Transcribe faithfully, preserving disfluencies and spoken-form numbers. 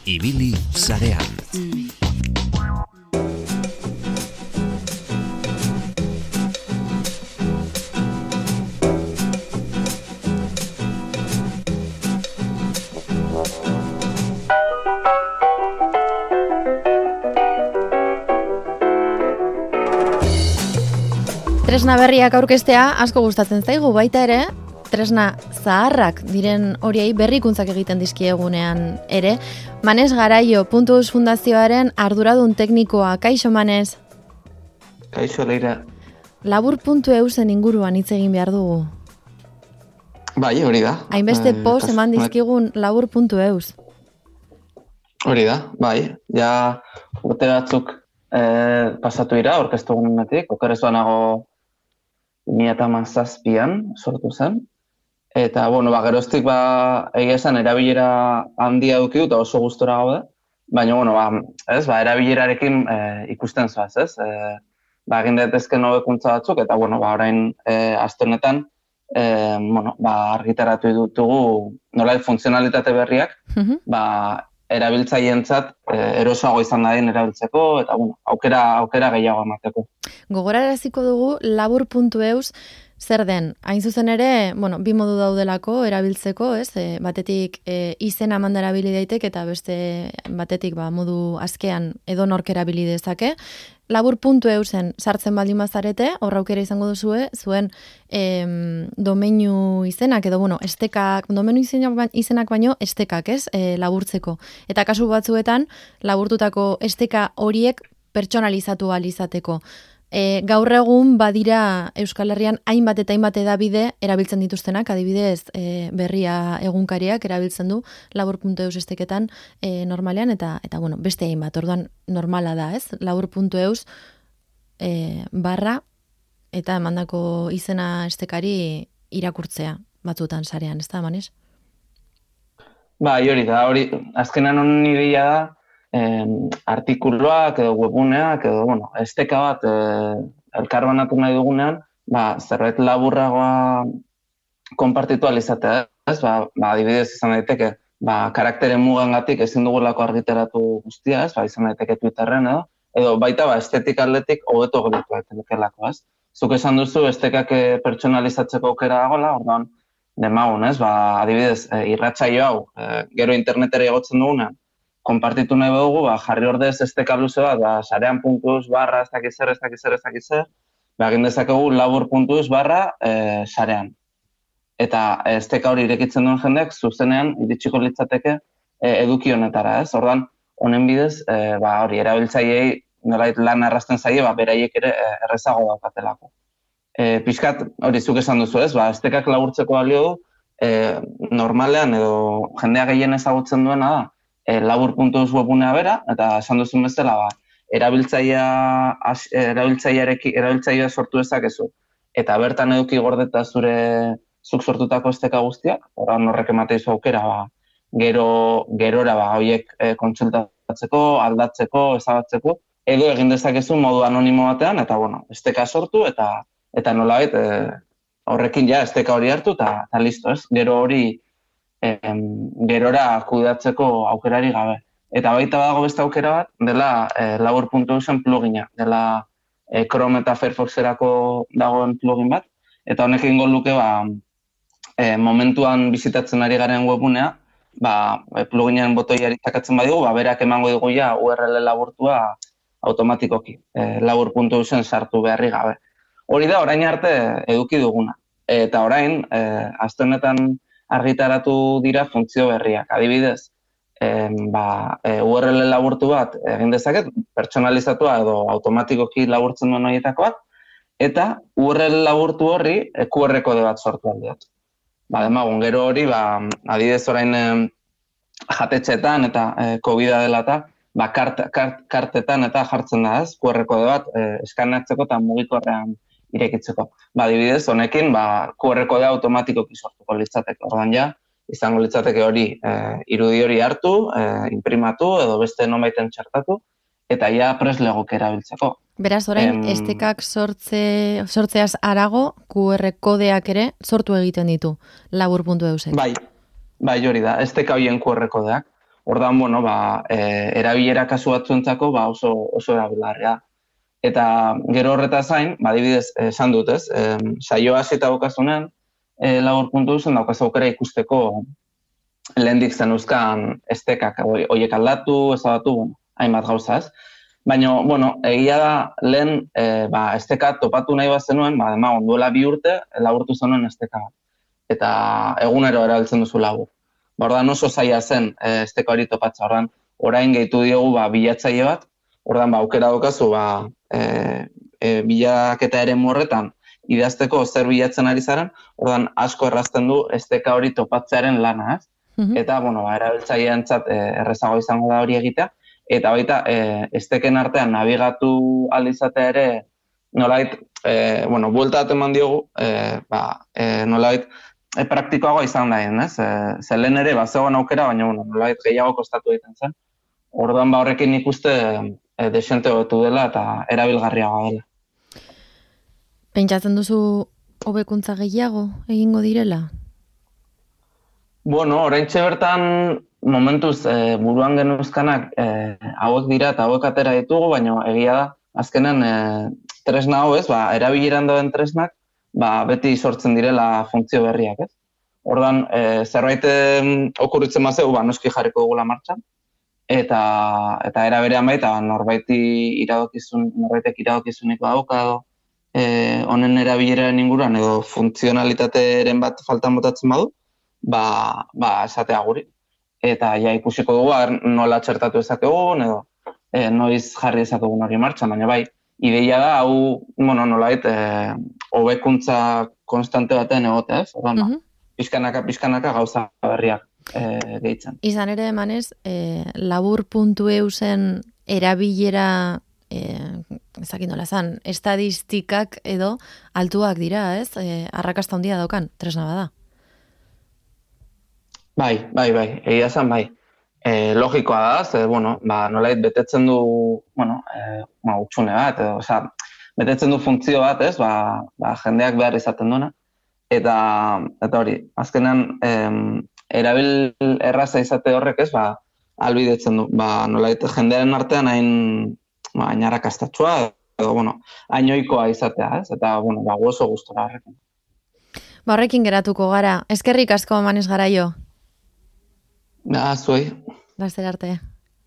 Ibili sarean. Tresna berriak aurkeztea asko gustatzen zaigu, baita ere, tresna zaharrak diren horiei berrikuntzak egiten dizkiegunean ere. Manes Garaio, Puntus Fundazioaren arduradun teknikoa. Kaixo, Manes? Kaixo, Leira. Labur puntu eusen inguruan hitz egin behar dugu. Bai, hori da. Hainbeste eh, post eman dizkigun labur puntu eus. Hori da, bai. Ja, urte batzuk eh, pasatu dira, orkestu gunenetik, okerezuanago mila eta hamazazpian sortu zen. Eta, bueno, ba, geroztik, ba, egia esan, erabilera handia duki eta oso gustora gaude. Baina, bueno, ba, ez, ba, erabilerarekin e, ikusten zoaz, ez? E, ba, egin daitezken hobekuntza batzuk, eta, bueno, ba, orain, e, aste honetan, e, bueno, ba, argitaratu ditugu nolait funtzionalitate berriak, mm-hmm. ba, erabiltzaileentzat e, erosoago izan dadin erabiltzeko, eta, bueno, aukera, aukera gehiago emateko. Gogoraraziko dugu labur puntu eus zer den. Hain zuzen ere, bueno, bi modu daudelako erabiltzeko, ez? E, batetik e, izena manda erabili daitek eta beste batetik ba, modu azkean edonork erabili dezake. labur puntu eusen sartzen baldin bazarete, hor aukera izango duzue, zuen em, domeinu izenak edo, bueno, estekak, domeinu izenak, izenak baino estekak, ez? E, laburtzeko. Eta kasu batzuetan, laburtutako esteka horiek pertsonalizatu ahal izateko. E, gaur egun badira Euskal Herrian hainbat eta hainbat edabide erabiltzen dituztenak, adibidez e, berria egunkariak erabiltzen du labur puntu eus esteketan e, normalean, eta eta bueno, beste hainbat, orduan normala da, ez? labur puntu eus e, barra eta emandako izena estekari irakurtzea batzutan sarean, ez da, Manes? Bai, hori da, hori, azkenan honen ideia da, Eh, artikuluak edo webuneak edo, bueno, esteka bat eh, elkarbanatu nahi dugunean, ba, zerbait laburragoa konpartitu alizatea, ez? Ba, ba, adibidez izan daiteke, ba, karakteren mugangatik ezin dugulako argitaratu guztia, ez? Ba, izan daiteke Twitterren edo, edo baita ba, estetik aldetik hobeto gelditu daitekelako, ez? Zuk esan duzu estekak pertsonalizatzeko aukera dagoela, orduan, demagun, ez? Ba, adibidez, eh, irratsaio hau, eh, gero internetera igotzen dugunean, konpartitu nahi dugu, ba, jarri ordez esteka luze bat, ba, sarean puntuz barra ez dakiz zer, ez dakiz zer, ez dakiz zer, ba, egin dezakegu labur puntuz barra e, sarean. Eta esteka hori irekitzen duen jendek, zuzenean, iritsiko litzateke e, eduki honetara, ez? Ordan, honen bidez, e, ba, hori, erabiltzaileei nolait lan arrasten zaie, ba, beraiek ere e, errezago daukatelako. E, pixkat, hori, zuk esan duzu, ez? Ba, estekak laburtzeko balio du, e, normalean edo jendea gehien ezagutzen duena da, E, labur puntu eus webunea bera, eta esan duzun bezala, ba, erabiltzailea, erabiltzailearekin, erabiltzailea sortu dezakezu, eta bertan eduki gordeta zure zuk sortutako esteka guztiak, orain horrek emateizu aukera, ba, gero, gerora, ba, horiek e, kontsultatzeko, aldatzeko, ezabatzeko, edo egin dezakezu modu anonimo batean, eta, bueno, esteka sortu, eta, eta nolabait, e, horrekin ja, esteka hori hartu, eta, eta listo, ez? Gero hori, Em, gerora kudeatzeko aukerari gabe. Eta baita dago beste aukera bat, dela e, labur puntu eusen plugina, dela e, Chrome eta Firefoxerako dagoen plugin bat, eta honek egingo luke ba, e, momentuan bizitatzen ari garen webunea, ba, pluginen botoiari takatzen badigu, ba, berak emango dugu ja U R L laburtua automatikoki, e, labur puntu eusen sartu beharri gabe. Hori da, orain arte eduki duguna. Eta orain, e, aste honetan argitaratu dira funtzio berriak. Adibidez, em, ba, e, U R L laburtu bat egin dezaket, pertsonalizatua edo automatikoki laburtzen duen horietako bat, eta U R L laburtu horri e, Q R kode bat sortu aldiot. Ba, demagun, gero hori, ba, adibidez orain e, jatetxetan eta e, COVID-a dela eta, ba, kart, kart, kartetan eta jartzen da, ez? Q R kode bat e, eskaneatzeko eta mugikorrean irekitzeko. Ba, adibidez, honekin, ba, Q R kodea automatikoki sortuko litzateke. Ordan ja, izango litzateke hori, e, irudi hori hartu, e, imprimatu edo beste nonbaiten txertatu, eta ja preslegoke erabiltzeko. Beraz, orain, em... estekak sortze, sortzeaz arago, Q R kodeak ere sortu egiten ditu, labur puntu eusek. Bai, bai hori da, esteka hoien Q R kodeak. Ordan, bueno, ba, e, erabilera kasu batzuentzako ba oso oso erabilgarria. Eta gero horretaz gain, ba adibidez, esan dut, ez? E, saioa hasita daukazunean, e, labur puntu zen daukaz aukera ikusteko lehendik zen euskan estekak horiek aldatu, ezabatu, bueno, hainbat gauza, ez? Baina, bueno, egia da, lehen e, ba, esteka topatu nahi bat zenuen, ba, dema, onduela bi urte, laburtu zenuen esteka bat. Eta egunero erabiltzen duzu labur. Ba, ordan oso zaila zen e, esteka hori topatza, ordan orain gehitu diogu ba, bilatzaile bat, ordan ba, aukera daukazu ba, e, e, bilaketa ere horretan idazteko zer bilatzen ari zaren, ordan asko errazten du esteka hori topatzearen lana, ez? Eta, bueno, ba, erabiltzaileentzat e, errezago izango da hori egitea, eta baita e, esteken artean nabigatu aldizatea ere nolait, e, bueno, buelta bat eman diogu, e, ba, e, nolait, e, praktikoagoa izan da, ez? E, zelen ere, ba, zegoen aukera, baina, bueno, nolait gehiago kostatu egiten zen. Orduan, ba, horrekin ikuste e, desente hobetu dela eta erabilgarriagoa dela. Pentsatzen duzu hobekuntza gehiago egingo direla? Bueno, oraintxe bertan momentuz e, buruan genuzkanak e, hauek dira eta hauek atera ditugu, baina egia da, azkenen e, tresna hau ez, ba, erabileran dauden tresnak, ba, beti sortzen direla funtzio berriak, ez? Ordan, e, zerbait okurritzen mazeu, ba, noski jarriko dugula martxan, eta eta era berean baita norbaiti iradokizun, norbaitek iradokizuniko dauka edo e, honen erabileraren inguruan edo funtzionalitateren bat faltan botatzen badu, ba, ba esatea guri. Eta ja ikusiko dugu nola txertatu ezakegun edo e, noiz jarri ezakegun hori martxan, baina bai, ideia da, hau, bueno, nolait, e, hobekuntza konstante baten egotea, ez? Ordan, uh-huh. Pizkanaka, pizkanaka gauza berriak e, gehitzen. Izan ere, emanez, e, labur puntu e u zen erabilera, e, ezakin nola zan, estadistikak edo altuak dira, ez? E, arrakasta handia daukan, tresna bada. Bai, bai, bai, egia zan, bai. E, logikoa da, ze, bueno, ba, nolait betetzen du, bueno, e, ma, utxune bat, edo, oza, betetzen du funtzio bat, ez, ba, ba, jendeak behar izaten duena. Eta, eta hori, azkenan, em, erabil erraza izate horrek, ez, ba, albidetzen du, ba, nolait jendearen artean hain, ba, hain arrakastatxua, edo, bueno, hain ohikoa izatea, ez, eta, bueno, ba, oso gustora horrekin. Ba, horrekin geratuko gara, eskerrik asko Manes Garaio. Ah, zuei. Laster arte.